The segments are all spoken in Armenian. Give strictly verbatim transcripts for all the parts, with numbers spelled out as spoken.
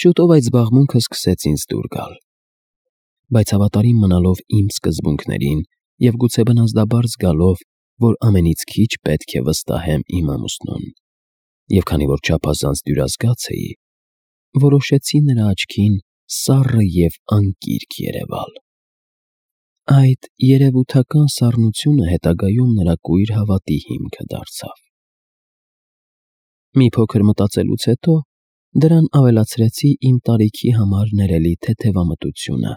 Շուտով այդ զբաղմունքը սկսեց ինձ դուր գալ, բայց հավատարիմ մնալով իմ սկզբունքներին և գուցե բնազդաբար զգալով, որ ամենից քիչ պետք է վստահեմ իմ ամուսնուն, և քանի որ չափազանց դյուրազգաց էի, որոշեցի նրա աչքին սառը և անկիրք երևալ։ Այդ երևութական սառնությունը հետագայում նրա կույր հավատի հիմքը դարձավ։ Մի փոքր մտածելուց հետո դրան ավելացրեցի իմ տարիքի համար ներելի թեթևամտությունը,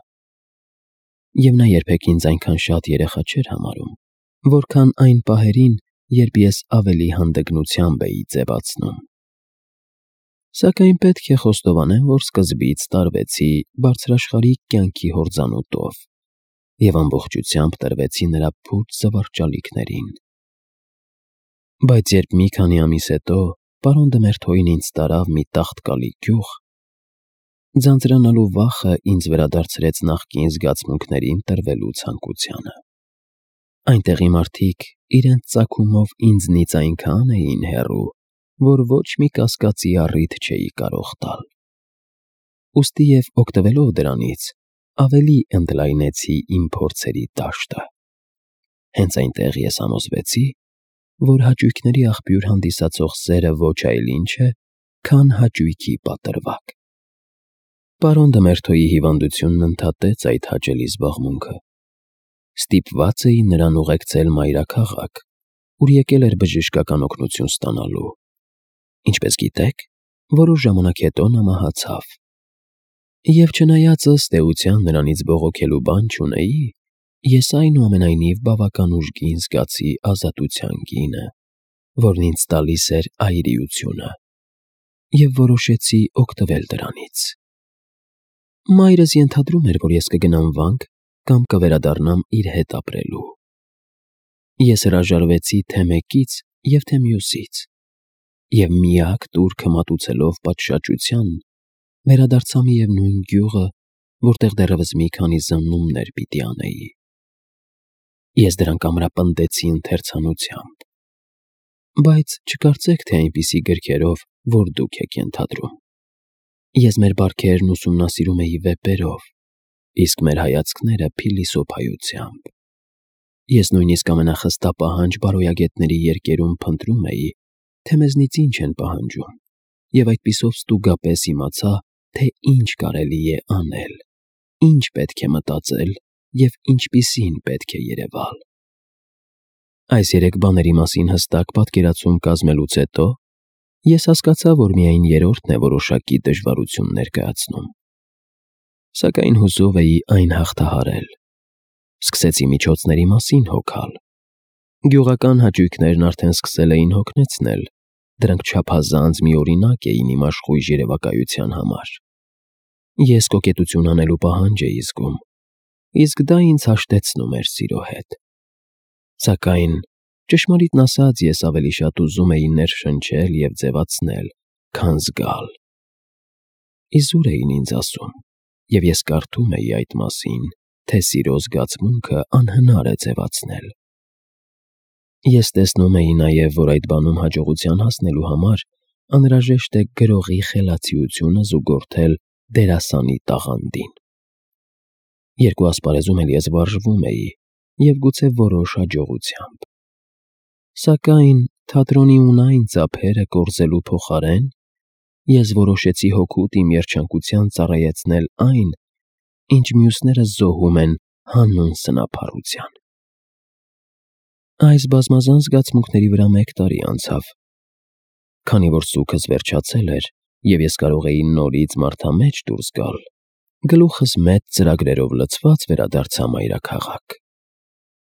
և նա երբեք ինձ այնքան շատ երեխա չէր համարում, որքան այն պահերին, երբ ես ավելի հանդգնությամբ էի ձևացնում։ Սակայն պետք է խոստովանեմ, որ սկզբից տարվեցի բարձրաշխարհիկ կյանքի հորձանուտով և ամբողջությամբ տրվեցի նրա փուչ զվարճալիքներին։ Բայց երբ մի քանի ամիս հետո պարոն Դմերթոյին ինձ տարավ մի տաղտկալի գյուղ, ձանձրանալու վախը ինձ վերադարձրեց նախկին զգացմունքներին տրվելու ցանկությանը։ Այնտեղի մարդիկ իրենց ծագումով ինձնից այնքան էին հեռու, որ ոչ մի կասկածի առիթ չէի կարող տալ։ Ուստի և օգտվելով դրանից, ավելի ընդլայնեցի իմ փորձերի դաշտը։ Հենց այնտեղ ես համոզվեցի, որ հաճույքների աղբյուր հանդիսացող սերը ոչ այլ ինչ է, քան հաճույքի պատրվակ։ Պարոն Դմերթոյի հիվանդությունն ընդհատեց այդ հաճելի զբաղմունքը։ Ստիպված էի նրան ուղեկցել մայրաքաղաք, ուր եկել էր բժշկական օգնություն ստանալու։ Ինչպես գիտեք, որոշ ժամանակ հետո նա մահացավ։ Եվ չնայած ըստ էության նրանից բողոքելու բան չունեի, ես այնուամենայնիվ բավական ուժգին զգացի ազատության գինը, որն ինձ տալիս էր այրիությունը, և որոշեցի օգտվել դրանից։ Մայրս ենթադրում էր, որ ես կգնամ վանք կամ կվերադառնամ իր հետ ապրելու։ Ես հրաժարվեցի թե մեկից և թե մյուսից, և միակ տուրքը մատուցելով պատշաճության, վերադարձա միևնույն գյուղը, որտեղ դեռևս մի քանի զննումներ պիտի անեի։ Ես դրանք ամրապնդեցի ընթերցանությամբ, բայց չկարծեք, թե այնպիսի գրքերով, որ դուք եք ենթադրում։ Ես մեր բարքերն ուսումնասիրում էի վեպերով, իսկ մեր հայացքները փիլիսոփայությամբ։ Ես նույնիսկ ամենախստապահանջ բարոյագետների երկերում փնտրում էի, թե մեզնից ինչ են պահանջում, և այդպիսով ստուգապես իմացա, թե ինչ կարելի է անել, ինչ պետք է մտածել և ինչպիսին պետք է երևալ։ Այս երեք բաների մասին հստակ պատկերացում կազմելուց հետո ես հասկացա, որ միայն երրորդն է որոշակի դժվարություն ներկայացնում։ Սակայն հուսով էի այն հաղթահարել։ Սկսեցի միջոցների մասին հոգալ։ Գյուղական հաճույքներն արդեն սկսել էին հոգնեցնել, դրանք չափազանց միօրինակ էին իմ աշխույժ երևակայության համար։ Ես կոկետություն անելու պահանջ էի զգում, իսկ դա ինձ հաշտեցնում էր սիրո հետ։ Սակայն, ճշմարիտն ասած, ես ավելի շատ ուզում էի ներշնչել և ձևացնել, քան զգալ։ Իզուր էին ինձ ասում, և ես կարդում էի այդ մասին, թե սիրո զգացմունքը անհնար է ձևացնել։ Ես տեսնում էի նաև, որ այդ բանում հաջողության հասնելու համար անհրաժեշտ է գրողի խելացիությունը զուգորդել դերասանի տաղանդին։ Երկու ասպարեզում էլ ես վարժվում էի, և գուցե որոշ հաջողությամբ։ Սակայն թատրոնի ունայն ծափերը կորզելու փոխարեն ես որոշեցի հօգուտ իմ երջանկության ծառայեցնել այն, ինչ մյուսները զոհում են հանուն սնափառության։ Այս բազմազան զգացմունքների վրա մեկ տարի անցավ։ Քանի որ սուգս վերջացել էր, և ես կարող էի նորից մարդամեջ դուրս գալ, գլուխս մեծ ծրագրերով լցված վերադարձա մայրաքաղաք։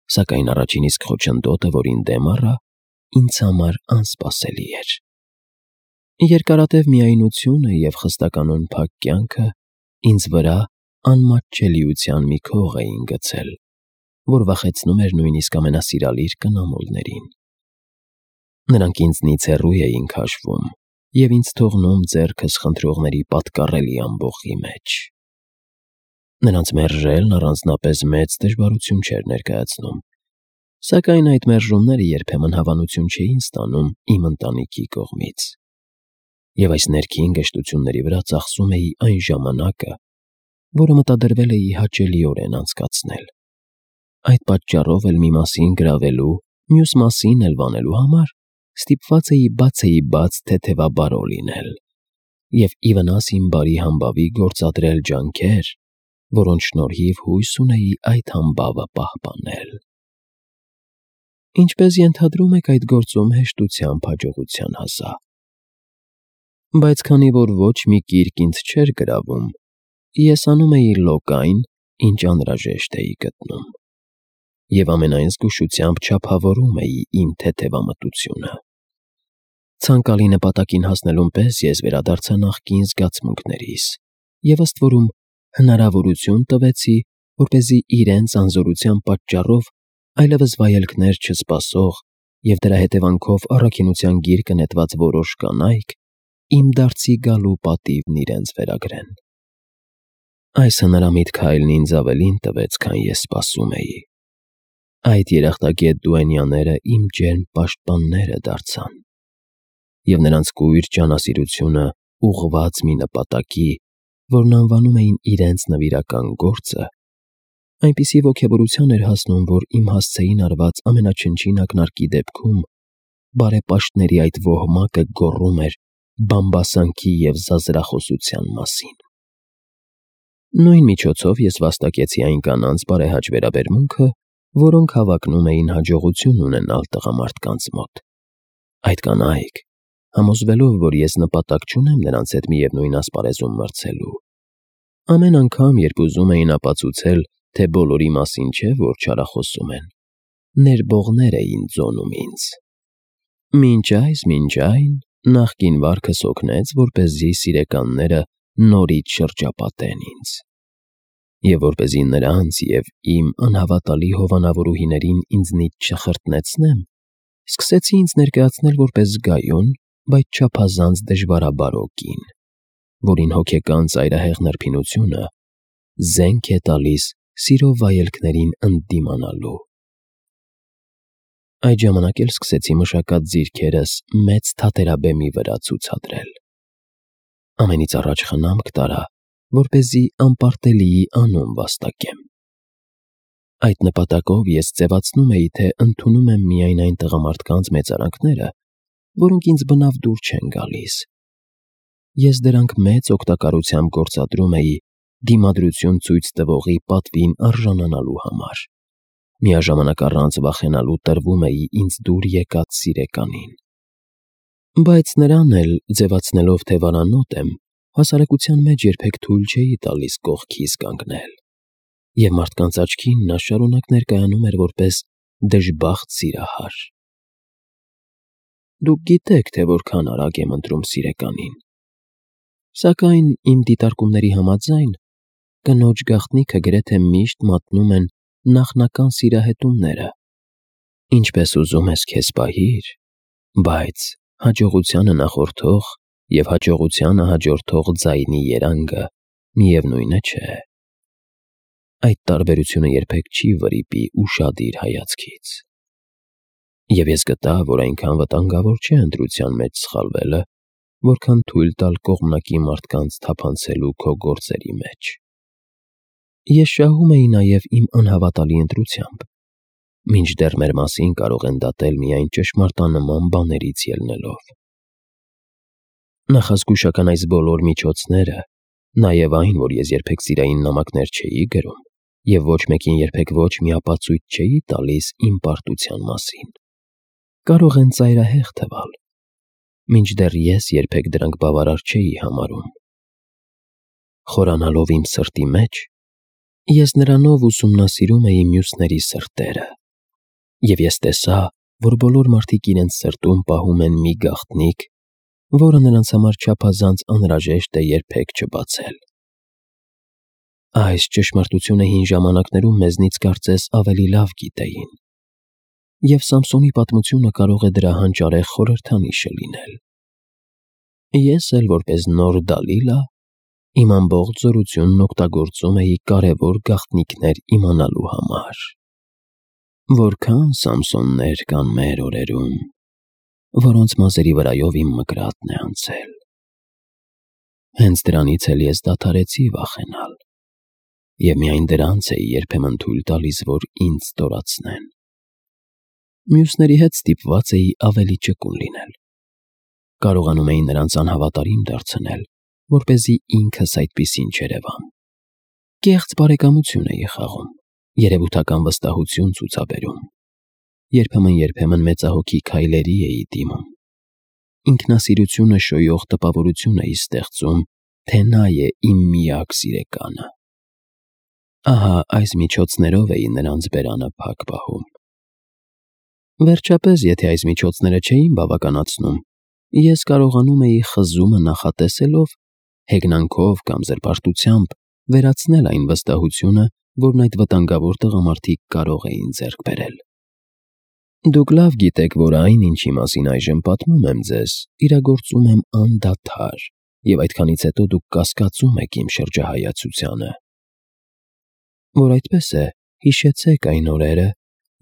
Սակայն առաջին իսկ խոչընդոտը, որին դեմ առա, ինձ համար անսպասելի էր։ Երկարատև միայնությունը և խստականոն փակ կյանքը ինձ վրա անմատչելիության մի քող էին գցել, որ վախեցնում էր նույնիսկ ամենասիրալիր կնամոլներին։ Նրանք ինձնից հեռու էին քաշվում և ինձ թողնում ձեռքս խնդրողների պատկառելի ամբոխի մեջ։ Նրանց մերժելն առանձնապես մեծ դժվարություն չէր ներկայացնում, սակայն այդ մերժումները երբեմն հավանություն չէին ստանում իմ ընտանիքի կողմից։ Եվ այս ներքին գժտությունների վրա ծախսում էի այն ժամանակը, որը մտադրվել էի հաճելիորեն անցկացնել։ Այդ պատճառով էլ մի մասին գրավելու, մյուս մասին էլ վանելու համար ստիպված էի բացեի բաց թեթևաբարո լինել և ի վնաս իմ բարի համբավի գործադրել ջանքեր, որոնց շնորհիվ հույս ունեի այդ համբավը պահպանել։ Ինչպես ենթադրում եք, այդ գործում հեշտությամբ հաջողության հասա։ Բայց քանի որ ոչ մի կիրք ինձ չէր գրավում, ես անում էի լոկ այն, ինչ անհրաժեշտ էի գտնում, և ամենայն զգուշությամբ չափավորում էի իմ թեթևամտությունը։ Ցանկալի նպատակին հասնելուն պես ես վերադարձա նախկին զգացմունքներիս և ըստ որում հնարավորություն տվեցի, որպեսզի իրենց անզորության պատճառով այլևս վայելքներ չսպասող և դրա հետևանքով առաքինության գիրկը նետված որոշ կանայք իմ դարձի գալու պատիվն իրենց վերագրեն։ Այս հնարամիտ քայլն ինձ ավելին տվեց, քան ես սպասում էի։ Այդ երախտագետ դուենյաները իմ ջերմ պաշտպանները դարձան, և նրանց կույր ջանասիրությունը ուղղված մի նպատակի, որն անվանում էին իրենց նվիրական գործը, այնպիսի ոգևորության էր հասնում, որ իմ հասցեին արված ամենաչնչին ակնարկի դեպքում բարեպաշտների այդ ոհմակը գոռում էր բամբասանքի և զազրախոսության մասին։ Նույն միջոցով ես վաստակեցի այն կանանց բարեհաճ վերաբերմունքը, որոնք հավակնում էին հաջողություն ունենալ տղամարդկանց մոտ։ Այդ կանայք, համոզվելով, որ ես նպատակ չունեմ նրանց հետ միևնույն ասպարեզում մրցելու, ամեն անգամ, երբ ուզում էին ապացուցել, թե բոլորի մասին չէ, որ չարախոսում են, ներբողներ էին ձոնում ինձ։ Մինչ այս, մինչ այն, նախկին վարքս օգնեց, որպեսզի սիրեկանները նորից շրջապատեն ինձ։ Եվ որպեսզի նրանց և իմ անհավատալի հովանավորուհիներին ինձնից չխրտնեցնեմ, սկսեցի ինձ ներկայացնել որպես զգայուն, բայց չափազանց դժվարաբարո կին, որին հոգեկան ծայրահեղ նրբինությունը զենք է տալիս սիրո վայելքներին ընդդիմանալու։ Այդ ժամանակ էլ սկսեցի մշակած ձիրքերս մեծ թատերաբեմի վրա ցուցադրել։ Ամենից առաջ խնամք տարա, որպեսզի անպարտելիի անուն վաստակեմ։ Այդ նպատակով ես ձևացնում էի, թե ընդունում եմ միայն այն տղամարդկանց մեծարանքները, որոնք ինձ բնավ դուր չեն գալիս։ Ես դրանք մեծ օգտակարությամբ գործադրում էի դիմադրություն ցույց տվողի պատվին արժանանալու համար, միաժամանակ առանց վախենալու տրվում էի ինձ դուր եկած սիրեկանին։ Բայց նրան էլ, ձևացնելով, թե վարանոտ եմ, հասարակության մեջ երբեք թույլ չէի տալիս կողքիս կանգնել, և մարդկանց աչքին նա շարունակ ներկայանում էր որպես դժբախտ սիրահար։ Դուք գիտեք, թե որքան արագ եմ ընտրում սիրեկանին, սակայն իմ դիտարկումների համաձայն կնոջ գաղտնիքը գրեթե միշտ մատնում են նախնական սիրահետումները, ինչպես ուզում ես քեզ պահիր, բայց հաջողությանը նախորդող և հաջողությանը հաջորդող ձայնի երանգը միևնույնը չէ։ Այդ տարբերությունը երբեք չի վրիպի ուշադիր հայացքից։ Եվ ես գտա, որ այնքան վտանգավոր չէ ընտրության մեջ սխալվելը, որքան թույլ տալ կողմնակի մարդկանց թափանցելու քո գործերի մեջ։ Ես շահում էի նաև իմ անհավատալի ընտրությամբ, մինչդեռ մեր մասին կարող են դատել միայն ճշմարտանման բաներից ելնելով։ Նախազգուշական այս բոլոր միջոցները, նաև այն, որ ես երբեք սիրային նամակներ չէի գրում և ոչ մեկին երբեք ոչ մի ապացույց չէի տալիս իմ պարտության մասին, կարող են ծայրահեղ թվալ, մինչդեռ ես երբեք դրանք բավարար չէի համարում։ Խորանալով իմ սրտի մեջ, ես նրանով ուսումնասիրում էի մյուսների սրտերը, և ես տեսա, որ բոլոր մարդիկ իրենց սրտում պահում են մի գաղտնիք, որը նրանց համար չափազանց անհրաժեշտ է երբեք չբացել։ Այս ճշմարտությունը հին ժամանակներում մեզնից կարծես ավելի լավ գիտեին, և Սամսոնի պատմությունը կարող է դրա հանճարեղ խորհրդանիշը լինել։ Ես էլ, որպես նոր Դալիլա, իմ ամբողջ զորությունն օգտագործում էի կարևոր գաղտնիքներ իմանալու համար։ Որքա՜ն Սամսոններ կան մեր օրերում, որոնց մազերի վրայով իմ մկրատն է անցել։ Հենց դրանից էլ ես դադարեցի վախենալ, և միայն դրանց էի երբեմն թույլ տալիս, որ ինձ ստորացնեն։ Մյուսների հետ ստիպված էի ավելի ճկուն լինել։ Կարողանում էի նրանց անհավատարիմ դարձնել, որպեսզի ինքս այդպիսին չերևամ։ Կեղծ բարեկամություն էի խաղում, երևութական վստահություն ցուցաբերում։ Երբեմն-երբեմն մեծահոգի քայլերի էի դիմում։ Ինքնասիրությունը շոյող տպավորություն էի ստեղծում, թե նա է իմ միակ սիրեկանը։ Ահա այս միջոցներով էի նրանց բերանը փակ պահում։ Վերջապես, եթե այս միջոցները չէին բավականացնում, ես կարողանում էի խզումը նախատեսելով, հեգնանքով կամ զրպարտությամբ վերացնել այն վստահությունը, որն այդ վտանգավոր տղամարդիկ կարող էին ձեռք բերել։ Դուք լավ գիտեք, որ այն, ինչի մասին այժմ պատմում եմ ձեզ, իրագործում եմ անդադար, և այդքանից հետո դուք կասկածում եք իմ շրջահայացությանը։ Որ այդպես է, հիշեցեք այն օրերը,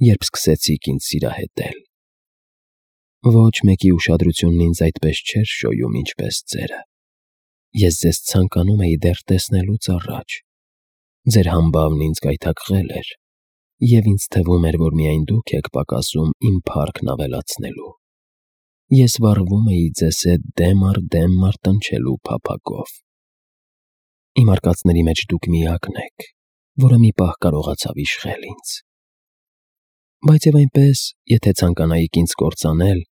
երբ սկսեցիք ինձ սիրահետել։ Ոչ մեկի ուշադրությունն ինձ այդպես չէր շոյում, ինչպես ձերը։ Ես ձեզ ցանկանում էի դեռ տեսնելուց առաջ։ Ձեր համբավն ինձ գայթակղել էր, և ինձ թվում էր, որ միայն դուք եք պակասում իմ փառքն ավելացնելու։ Ես վառվում էի ձեզ հետ դեմ առ դեմ մարտնչելու փափագով։ Իմ արկածների մեջ դուք միակն եք, որը մի պահ կարողացավ իշխել ինձ։ Բայց և այնպես, եթե ցանկանայիք ինձ կործանել,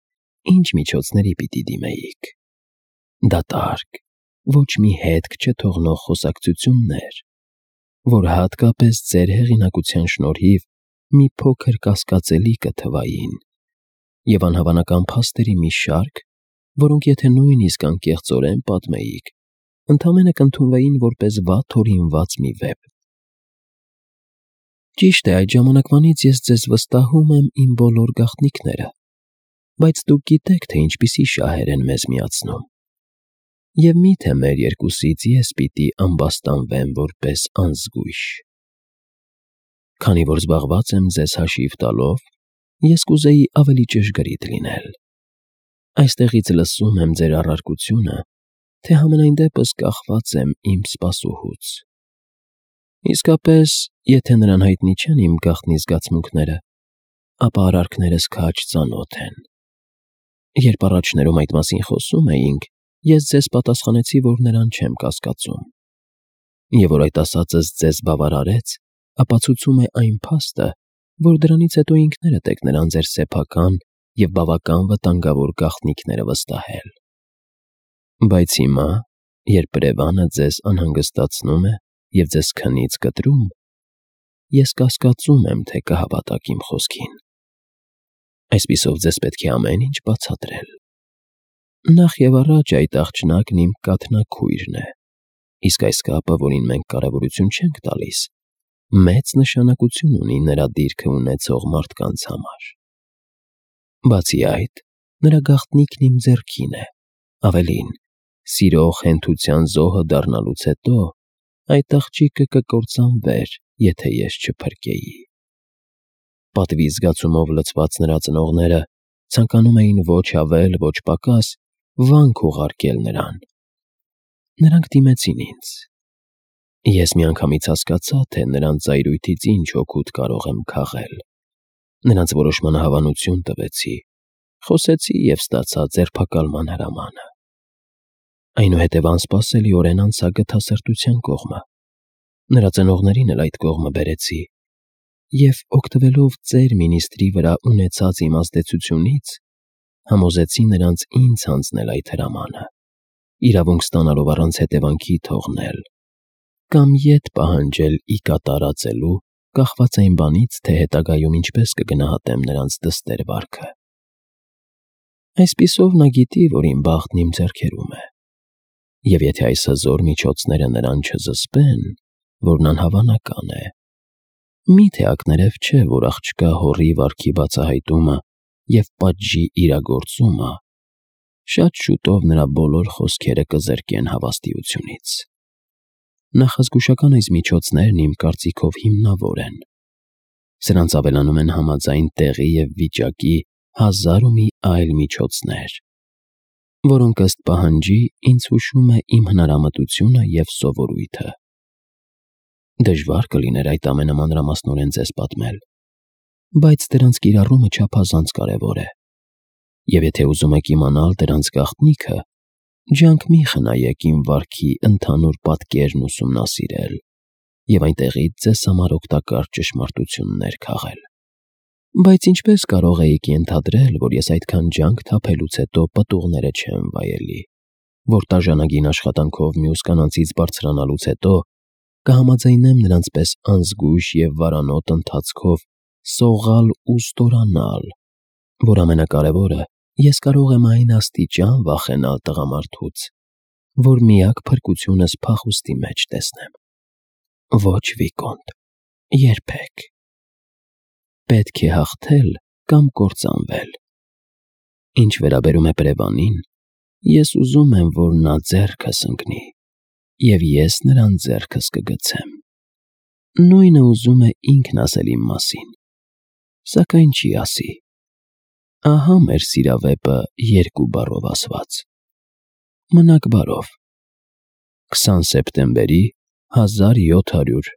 ինչ միջոցների պիտի դիմեիք։ Դատարկ, ոչ մի հետք չթողնող խոսակցություններ, որ հատկապես ձեր հեղինակության շնորհիվ մի փոքր կասկածելի կթվային, և անհավանական փաստերի մի շարք, որոնք եթե նույնիսկ անկեղծորեն պատմեիք, ընդամենը կընդունվեին որպես վատ հորինված մի վեպ։ Ճիշտ է, այդ ժամանակվանից ես ձեզ վստահում եմ իմ բոլոր գաղտնիքները, բայց դուք գիտեք, թե ինչպիսի շահեր են մեզ միացնում։ Եվ մի՞թե մեր երկուսից ես պիտի ամբաստանվեմ որպես անզգույշ։ Քանի որ զբաղված եմ ձեզ հաշիվ տալով, ես կուզեի ավելի ճշգրիտ լինել։ Այստեղից լսում եմ ձեր առարկությունը, թե համենայն դեպս կախված եմ իմ սպասուհուց։ Իսկապես, եթե նրան հայտնի չեն իմ գաղտնի զգացմունքները, ապա արարքներս քաջ ծանոթ են։ Երբ առաջներում այդ մասին խոսում էինք, ես ձեզ պատասխանեցի, որ նրան չեմ կասկածում։ Եվ որ այդ ասածս ձեզ բավարարեց, ապացուցում է այն փաստը, որ դրանից հետո ինքներդ եք նրան ձեր սեփական և բավական վտանգավոր գաղտնիքները վստահել։ Բայց հիմա, երբ Ռևանը ձեզ անհանգստացնում է և ձեզ քնից կտրում, ես կասկածում եմ, թե կհավատաք իմ խոսքին։ Այսպիսով ձեզ պետք է ամեն ինչ բացատրել։ Նախ և առաջ այդ աղջնակն իմ կաթնակույրն է, իսկ այս կապը, որին մենք կարևորություն չենք տալիս, մեծ նշանակություն ունի նրա դիրքը ունեցող մարդկանց համար։ Բացի այդ, նրա գաղտնիքն իմ ձեռքին է, ավելին, սիրող հենթության զոհը դառնալուց հետո այդ աղջիկը կկործանվեր, եթե ես չփրկեի։ Պատվի զգացումով լցված նրա ծնողները ցանկանում էին ոչ ավել, ոչ պակաս վանք ուղարկել նրան։ Նրանք դիմեցին ինձ։ Ես միանգամից հասկացա, թե նրանց զայրույթից ինչ օգուտ կարող եմ քաղել։ Նրանց որոշմանը հավանություն տվեցի, խոսեցի և ստացա ձերբակալման հրամանը։ Այնուհետև անսպասելիորեն անցա գթասրտության կողմը։ Նրա ծնողներին էլ այդ կողմը բերեցի և, օգտվելով ձեր մինիստրի վրա ունեցած իմ ազդեցությունից, համոզեցի նրանց ինձ հանձնել այդ հրամանը, իրավունք ստանալով առանց հետևանքի թողնել, կամ ետ պահանջել ի կատարածելու, կախված այն բանից, թե հետագայում ինչպես կգնահատեմ նրանց դստեր վարքը։ Այսպիսով նա գիտի, որ իմ բախտն իմ ձեռքերում է, և եթե այս հզոր միջոցները նրան չզսպեն, որն անհավանական է, մի՞թե ակներև չէ, որ աղջկա հոռի վարքի բացահայտումը և պատժի իրագործումը շատ շուտով նրա բոլոր խոսքերը կզրկեն հավաստիությունից։ Նախազգուշական այս միջոցներն իմ կարծիքով հիմնավոր են։ Սրանց ավելանում են համաձայն տեղի և վիճակի հազար ու մի այլ միջոցներ։ որոնք ըստ պահանջի ինձ հուշում է իմ հնարամտությունը և սովորույթը։ Դժվար կլիներ այդ ամենը մանրամասնորեն ձեզ պատմել, բայց դրանց կիրառումը չափազանց կարևոր է, և եթե ուզում եք իմանալ դրանց գաղտնիքը, ջանք մի խնայեք իմ վարքի ընդհանուր պատկերն ուսումնասիրել և այնտեղից ձեզ համար օգտակար ճշմարտություններ քաղել։ Բայց ինչպես կարող էիք ենթադրել, որ ես այդքան ջանք թափելուց հետո պտուղները չեմ վայելի, որ տաժանագին աշխատանքով մյուս կանանցից բարձրանալուց հետո կհամաձայնեմ նրանց պես անզգույշ և վարանոտ ընթացքով սողալ ու ստորանալ, որ ամենակարևորը, ես կարող եմ այն աստիճան վախենալ տղամարդուց, որ միակ փրկությունս փախուստի մեջ տեսնեմ։ Ոչ, Վիկոնտ, երբեք։ Պետք է հաղթել կամ կործանվել։ Ինչ վերաբերում է Պրևանին, ես ուզում եմ, որ նա ձեռքս ընկնի, և ես նրան ձեռքս կգցեմ։ Նույնը ուզում է ինքն ասել իմ մասին, սակայն չի ասի։ Ահա մեր սիրավեպը երկու բառով ասված։ Մնաք բարով։ քսան սեպտեմբերի հազար յոթ հարյուր